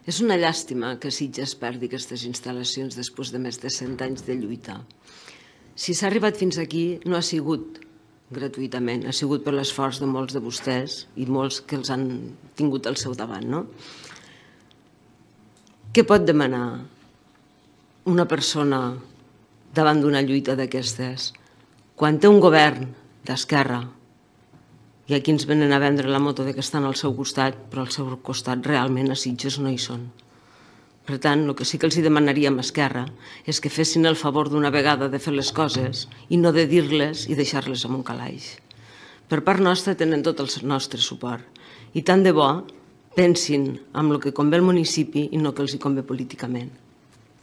H: És una llàstima que Sitges perdi aquestes instal·lacions després de més de cent anys de lluita. Si s'ha arribat fins aquí, no ha sigut gratuïtament, ha sigut per l'esforç de molts de vostès i molts que els han tingut al seu davant, no? Què pot demanar una persona davant d'una lluita d'aquestes quan té un govern d'esquerra i aquí ens venen a vendre la moto que estan al seu costat, però al seu costat realment a Sitges no hi són. Per tant, el que sí que els demanaríem a Esquerra és que fessin el favor d'una vegada de fer les coses i no de dir-les i deixar-les en un calaix. Per part nostra tenen tot el nostre suport i tant de bo pensin en el que convé al municipi i no que els hi convé políticament.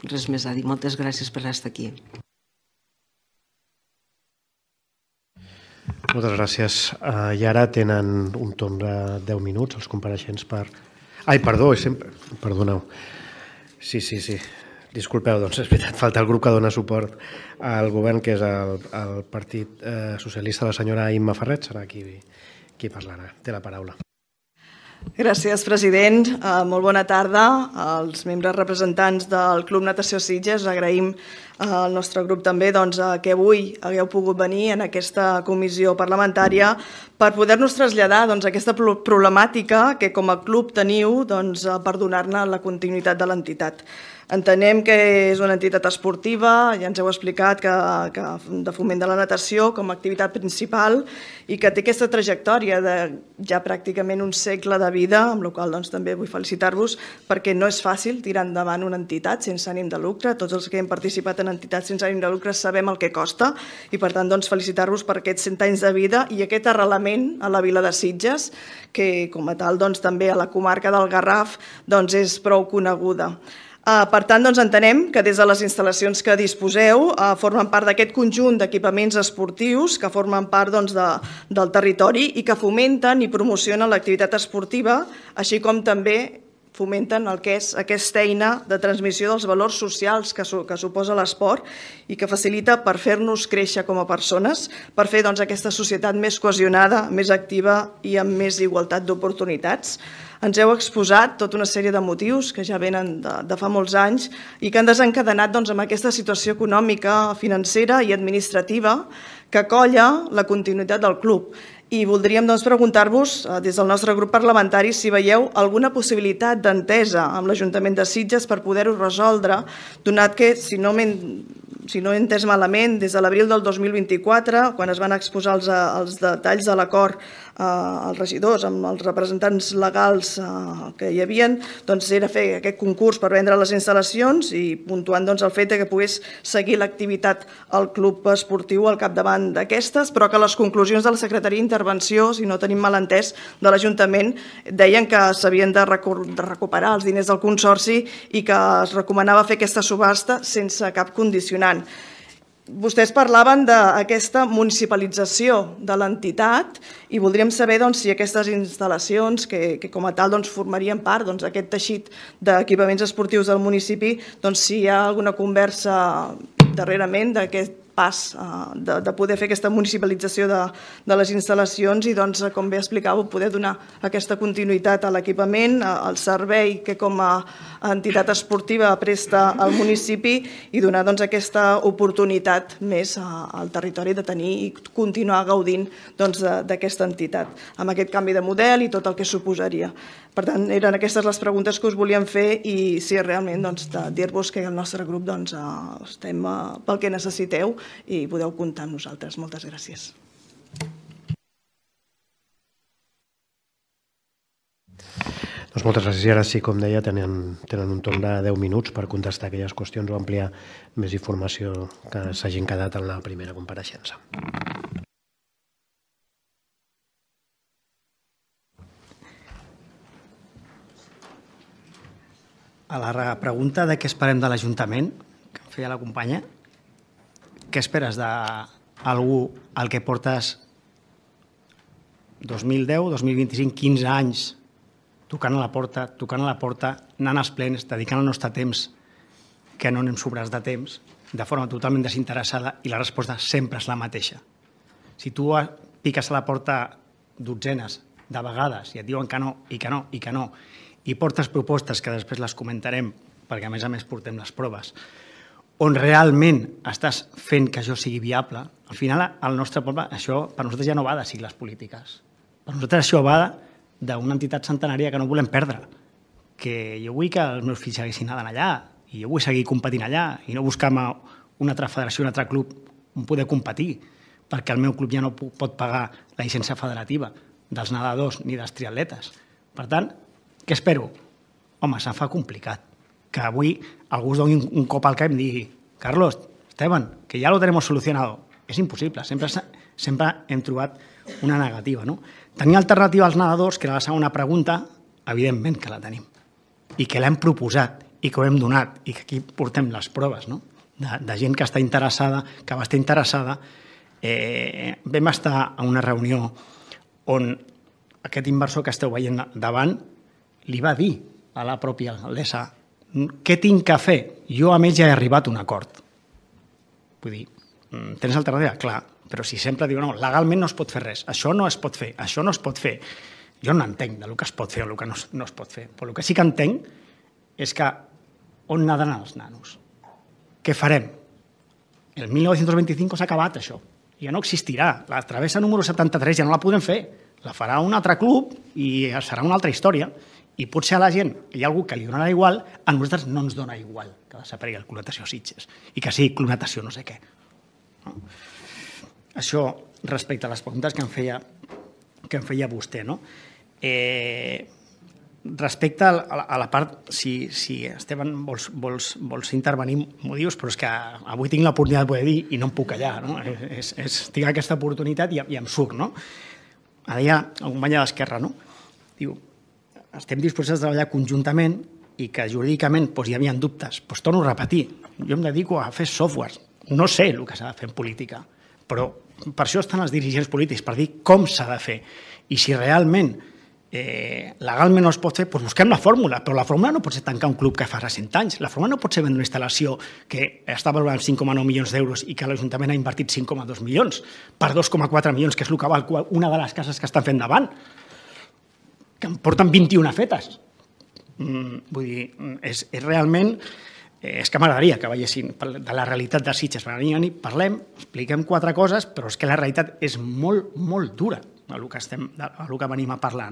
H: Res més a dir. Moltes gràcies per estar aquí.
A: Moltes gràcies. I ara tenen un torn de deu minuts els compareixents per... Ai, perdó, sempre... Perdoneu. Sí, sí, sí. Disculpeu, doncs és veritat, falta el grup que dona suport al govern, que és el Partit Socialista, la senyora Imma Ferret, serà qui parlarà. Té la paraula.
I: Gràcies, president. Molt bona tarda als membres representants del Club Natació Sitges. Agraïm al nostre grup també que avui hagueu pogut venir en aquesta comissió parlamentària per poder-nos traslladar aquesta problemàtica que com a club teniu per donar-ne la continuïtat de l'entitat. Entenem que és una entitat esportiva, ja ens heu explicat que de foment de la natació com a activitat principal i que té aquesta trajectòria de ja pràcticament un segle de vida, amb la qual cosa també vull felicitar-vos perquè no és fàcil tirar endavant una entitat sense ànim de lucre. Tots els que hem participat en en entitats sense ànim de lucre sabem el que costa i per tant doncs, felicitar-vos per aquests cent anys de vida i aquest arrelament a la vila de Sitges que com a tal doncs, també a la comarca del Garraf doncs, és prou coneguda. Per tant, doncs, entenem que des de les instal·lacions que disposeu formen part d'aquest conjunt d'equipaments esportius que formen part doncs, de, del territori i que fomenten i promocionen l'activitat esportiva, així com també fomenten el que és aquesta eina de transmissió dels valors socials que, su, que suposa l'esport i que facilita per fer-nos créixer com a persones, per fer doncs, aquesta societat més cohesionada, més activa i amb més igualtat d'oportunitats. Ens heu exposat tota una sèrie de motius que ja venen de, de fa molts anys i que han desencadenat doncs, amb aquesta situació econòmica, financera i administrativa que colla la continuïtat del club. I voldríem doncs, preguntar-vos, des del nostre grup parlamentari, si veieu alguna possibilitat d'entesa amb l'Ajuntament de Sitges per poder-ho resoldre, donat que, si no m'he si no he entès malament, des de l'abril del dos mil vint-i-quatre, quan es van exposar els, els detalls de l'acord eh, als regidors amb els representants legals eh, que hi havia, doncs era fer aquest concurs per vendre les instal·lacions i puntuant doncs, el fet que pogués seguir l'activitat al club esportiu al capdavant d'aquestes, però que les conclusions de la Secretaria d'Intervenció, si no tenim mal entès, de l'Ajuntament, deien que s'havien de, de recuperar els diners del consorci i que es recomanava fer aquesta subhasta sense cap condicionant. Vostès parlaven d'aquesta municipalització de l'entitat i voldríem saber doncs, si aquestes instal·lacions, que, que com a tal doncs, formarien part d'aquest doncs, teixit d'equipaments esportius del municipi, doncs, si hi ha alguna conversa darrerament d'aquest pas de, de poder fer aquesta municipalització de, de les instal·lacions i, doncs, com bé explicàveu, poder donar aquesta continuïtat a l'equipament, al servei que com a entitat esportiva presta al municipi i donar doncs, aquesta oportunitat més al territori de tenir i continuar gaudint doncs, d'aquesta entitat, amb aquest canvi de model i tot el que suposaria. Per tant, eren aquestes les preguntes que us volíem fer i si realment doncs, dir-vos que el nostre grup doncs, estem pel que necessiteu i podeu comptar amb nosaltres. Moltes gràcies.
A: Doncs moltes gràcies. I ara sí, com deia, tenen, tenen un torn de deu minuts per contestar aquelles qüestions o ampliar més informació que s'hagin quedat en la primera compareixença.
B: A la pregunta de què esperem de l'Ajuntament, que em feia la companya, què esperes d'algú al que portes dos mil deu, dos mil vint-i-cinc, quinze anys tocant a la porta, tocant a la porta, anant als plens, dedicant el nostre temps, que no anem sobrats de temps, de forma totalment desinteressada i la resposta sempre és la mateixa. Si tu piques a la porta dotzenes de vegades i et diuen que no, i que no, i que no, i portes propostes que després les comentarem, perquè a més a més portem les proves, on realment estàs fent que això sigui viable, al final al nostre poble això per nosaltres ja no va de sigles polítiques. Per nosaltres això va d'una entitat centenària que no volem perdre, que jo vull que els meus fills segueixin anant allà i jo vull seguir competint allà i no buscar una altra federació, un altre club on poder competir, perquè el meu club ja no pot pagar la llicència federativa dels nedadors ni dels triatletes. Per tant, què espero? Home, se'm fa complicat. Que avui algú us doni un cop al cap i em digui Carlos, Esteban, que ja lo tenemos solucionado. És impossible. Sempre, sempre hem trobat una negativa. No? Tenir alternativa als nedadors, que era la segona pregunta, evidentment que la tenim. I que l'hem proposat i que ho hem donat i que aquí portem les proves no? de, de gent que està interessada, que va estar interessada. Eh, vam estar a una reunió on aquest inversor que esteu veient davant li va dir a la pròpia alcaldessa què tinc que fer? Jo amb ell ja he arribat a un acord. Vull dir, tens alternativa? Clar, però si sempre diu no, legalment no es pot fer res, això no es pot fer, això no es pot fer. Jo no entenc del que es pot fer o del que no, no es pot fer, però el que sí que entenc és que on nadaran els nanos? Què farem? El mil nou-cents vint-i-cinc s'ha acabat això, ja no existirà. La travessa número setanta-tres ja no la podem fer, la farà un altre club i serà una altra història. I potser a la gent hi ha algú que li donarà igual, a nosaltres no ens dona igual que desaparegui el Club Natació Sitges i que sigui Club Natació no sé què. No? Això respecte a les preguntes que em feia, que em feia vostè. No? Eh, respecte a la part, si Esteban vols intervenir, m'ho dius, però és que avui tinc l'oportunitat de poder dir i no em puc callar, no? Tinc aquesta oportunitat i em surc, no? Deia el company d'Esquerra, no? Diu, estem disposats a treballar conjuntament i que jurídicament hi havia dubtes. Doncs torno a repetir, jo em dedico a fer software, no sé el que s'ha de fer en política, però per això estan els dirigents polítics, per dir com s'ha de fer. I si realment legalment no es pot fer, doncs busquem la fórmula, però la fórmula no pot ser tancar un club que fa cent anys, la fórmula no pot ser vendre una instal·lació que està valorant cinc coma nou milions d'euros i que l'Ajuntament ha invertit cinc coma dos milions per dos coma quatre milions, que és el que val una de les cases que estan fent davant, que en porten vint-i-una fetes. Vull dir, és realment... És que m'agradaria que veiessin de la realitat de Sitges. Parlem, expliquem quatre coses, però és que la realitat és molt, molt dura el que venim a parlar.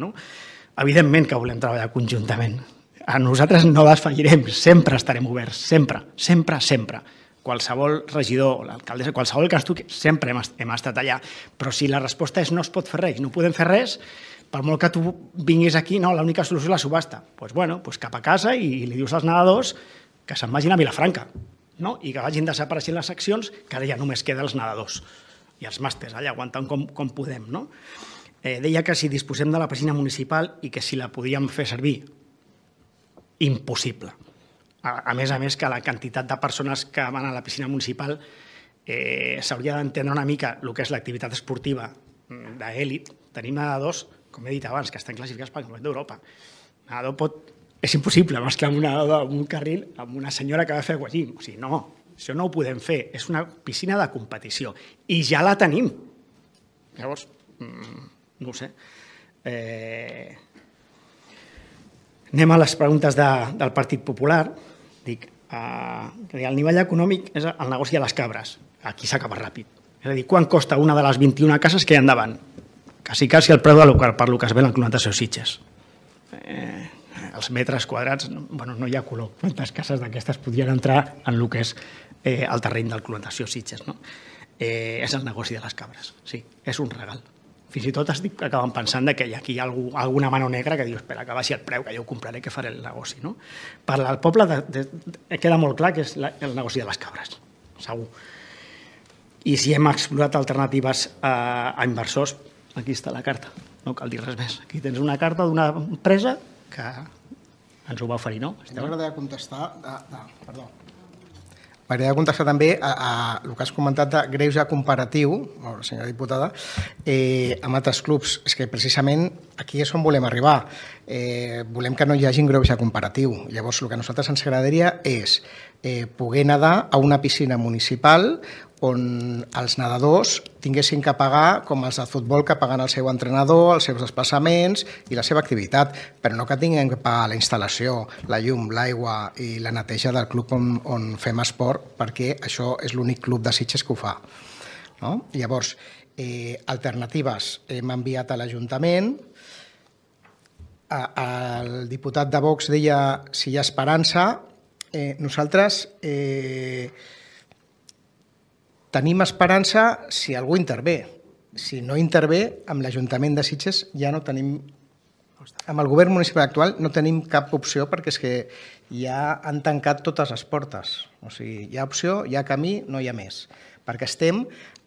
B: Evidentment que volem treballar conjuntament. A nosaltres no desfallirem, sempre estarem oberts, sempre, sempre, sempre. Qualsevol regidor, l'alcaldessa, qualsevol que ens toqui, sempre hem estat allà. Però si la resposta és no es pot fer res, no podem fer res, per molt que tu vinguis aquí, no, l'única solució és la subhasta. Doncs bueno, cap a casa i li dius als nedadors que se'n vagin a Vilafranca i que vagin desapareixent les seccions, que ara ja només queden els nedadors i els màsters, allà aguantant com podem. Deia que si disposem de la piscina municipal i que si la podíem fer servir, impossible. A més a més que la quantitat de persones que van a la piscina municipal s'hauria d'entendre una mica el que és l'activitat esportiva d'èlit. Tenim nedadors, com he dit abans, que estan classificats pel Campionat d'Europa. Nedador pot... És impossible mesclar un nedador en un carril amb una senyora que va fer aquagym. O sigui, no, això no ho podem fer. És una piscina de competició. I ja la tenim. Llavors, no ho sé. Anem a les preguntes del Partit Popular. Dic, el nivell econòmic és el negoci de les cabres. Aquí s'acaba ràpid. És a dir, quan costa una de les vint-i-una cases que hi ha endavant? Quasi, quasi el preu per lo que es ve l'enclonació Sitges. Els metres quadrats, bueno, no hi ha color. Quantes cases d'aquestes podrien entrar en el que és el terreny del clonació Sitges, no? És el negoci de les cabres, sí, és un regal. Fins i tot estic acabant pensant que aquí hi ha alguna mano negra que diu, espera, que baixi el preu, que jo ho compraré, que faré el negoci, no? Per al poble queda molt clar que és el negoci de les cabres, segur. I si hem explorat alternatives a inversors, aquí està la carta, no cal dir res més. Aquí tens una carta d'una empresa que ens ho va oferir, no?
C: M'agradaria contestar... Perdó. M'agradaria contestar també a el que has comentat de greuge comparatiu, senyora diputada, amb altres clubs. És que precisament aquí és on volem arribar. Volem que no hi hagi greuge comparatiu. Llavors, el que a nosaltres ens agradaria és poder nedar a una piscina municipal on els nedadors tinguessin que pagar com els de futbol que paguen el seu entrenador, els seus desplaçaments i la seva activitat, però no que tinguem que pagar la instal·lació, la llum, l'aigua i la neteja del club on fem esport, perquè això és l'únic club de Sitges que ho fa. Llavors, alternatives hem enviat a l'Ajuntament. El diputat de Vox deia si hi ha esperança. Nosaltres tenim esperança si algú intervé. Si no intervé, amb l'Ajuntament de Sitges ja no tenim... Amb el govern municipal actual no tenim cap opció perquè és que ja han tancat totes les portes. O sigui, hi ha opció, hi ha camí, no hi ha més. Perquè estem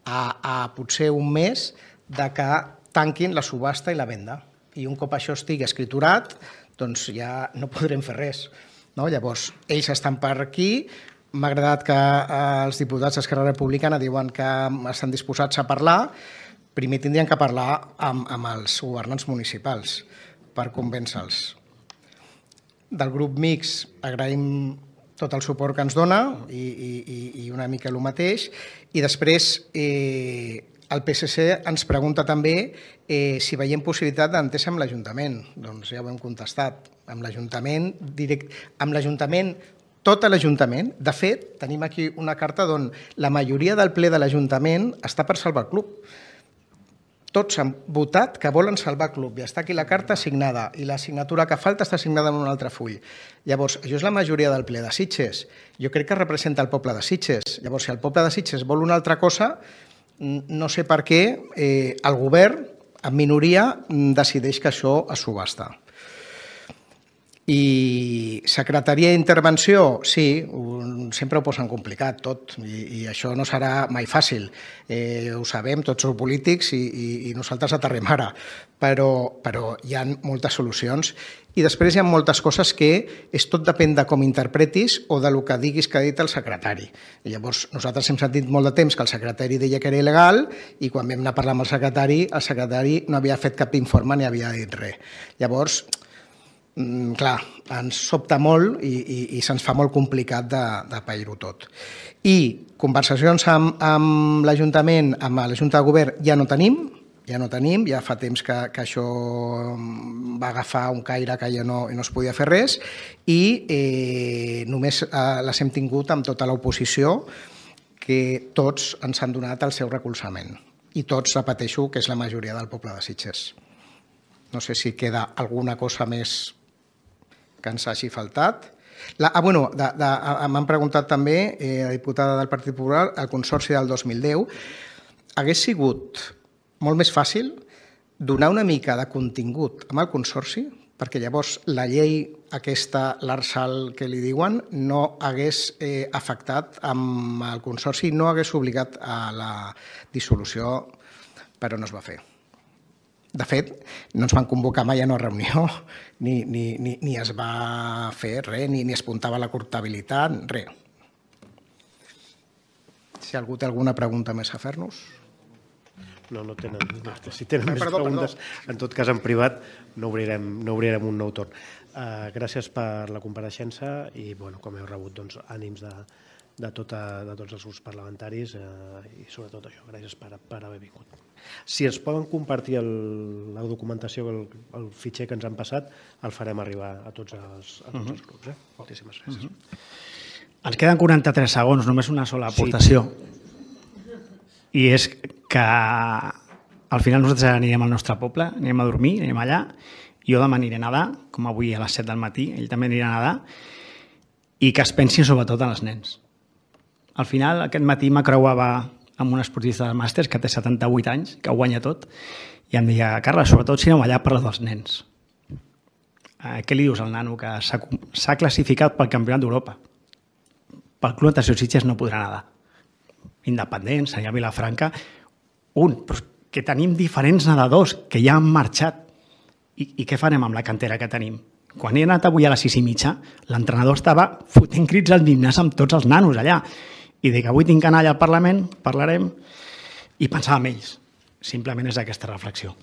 C: a potser un mes de que tanquin la subhasta i la venda. I un cop això estigui escriturat, doncs ja no podrem fer res. Llavors, ells estan per aquí. M'ha agradat que els diputats d'Esquerra Republicana diuen que estan disposats a parlar. Primer tindrien que parlar amb els governants municipals per convèncer-los. Del grup mixt agraïm tot el suport que ens dona i una mica el mateix. I després el P S C ens pregunta també si veiem possibilitat d'entesa amb l'Ajuntament. Doncs ja ho hem contestat. Amb l'Ajuntament, amb l'Ajuntament, tot l'Ajuntament. De fet, tenim aquí una carta on la majoria del ple de l'Ajuntament està per salvar el club. Tots han votat que volen salvar el club i està aquí la carta signada i la signatura que falta està signada en un altre full. Llavors, això és la majoria del ple de Sitges. Jo crec que representa el poble de Sitges. Llavors, si el poble de Sitges vol una altra cosa, no sé per què el govern, en minoria, decideix que això es subhasta. I secretaria d'intervenció, sí, sempre ho posen complicat tot i això no serà mai fàcil. Ho sabem, tots som polítics i nosaltres aterrem ara, però hi ha moltes solucions i després hi ha moltes coses que és tot depèn de com interpretis o del que diguis que ha dit el secretari. Llavors, nosaltres hem sentit molt de temps que el secretari deia que era il·legal i quan vam anar a parlar amb el secretari, el secretari no havia fet cap informe ni havia dit res. Llavors, clar, ens sobta molt i se'ns fa molt complicat de pair-ho tot. I conversacions amb l'Ajuntament, amb la Junta de Govern, ja no tenim, ja no tenim, ja fa temps que això va agafar un caire que ja no es podia fer res i només les hem tingut amb tota l'oposició que tots ens han donat el seu recolzament. I tots, repeteixo, que és la majoria del poble de Sitges. No sé si queda alguna cosa més que ens hagi faltat. Ah, bueno, m'han preguntat també, la diputada del Partit Popular, el Consorci del dos mil deu. Hagués sigut molt més fàcil donar una mica de contingut amb el Consorci, perquè llavors la llei aquesta, l'Arsal que li diuen, no hagués afectat amb el Consorci, no hagués obligat a la dissolució, però no es va fer. De fet, no ens van convocar mai a una reunió, ni es va fer res, ni es apuntava la comptabilitat, res. Si algú té alguna pregunta més a fer-nos...
A: No, no tenen. Si tenen més preguntes, en tot cas en privat, no obrirem un nou torn. Gràcies per la compareixença i, com heu rebut, ànims de tots els grups parlamentaris i sobretot això, gràcies per haver vingut. Si es poden compartir la documentació, el fitxer que ens han passat, el farem arribar a tots els grups. Moltíssimes gràcies.
B: Ens queden quaranta-tres segons, només una sola aportació. I és que al final nosaltres anirem al nostre poble, anirem a dormir, anirem allà, jo demà aniré a nedar, com avui a les set del matí, ell també anirà a nedar, i que es pensin sobretot en els nens. Al final, aquest matí m'acreuava amb un esportista de màsters que té setanta-vuit anys, que ho guanya tot, i em deia, Carles, sobretot si anem allà parla dels nens. Què li dius al nano que s'ha classificat pel Campionat d'Europa? Pel Club Natació Sitges no podrà nedar. Independents, allà a Vilafranca, un, però que tenim diferents nedadors que ja han marxat. I què farem amb la cantera que tenim? Quan he anat avui a les sis i mitja, l'entrenador estava fotent crits al gimnàs amb tots els nanos allà. I dic, avui tinc que anar allà al Parlament, parlarem, i pensar en ells. Simplement és aquesta reflexió.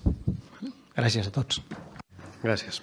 B: Gràcies a tots.
A: Gràcies.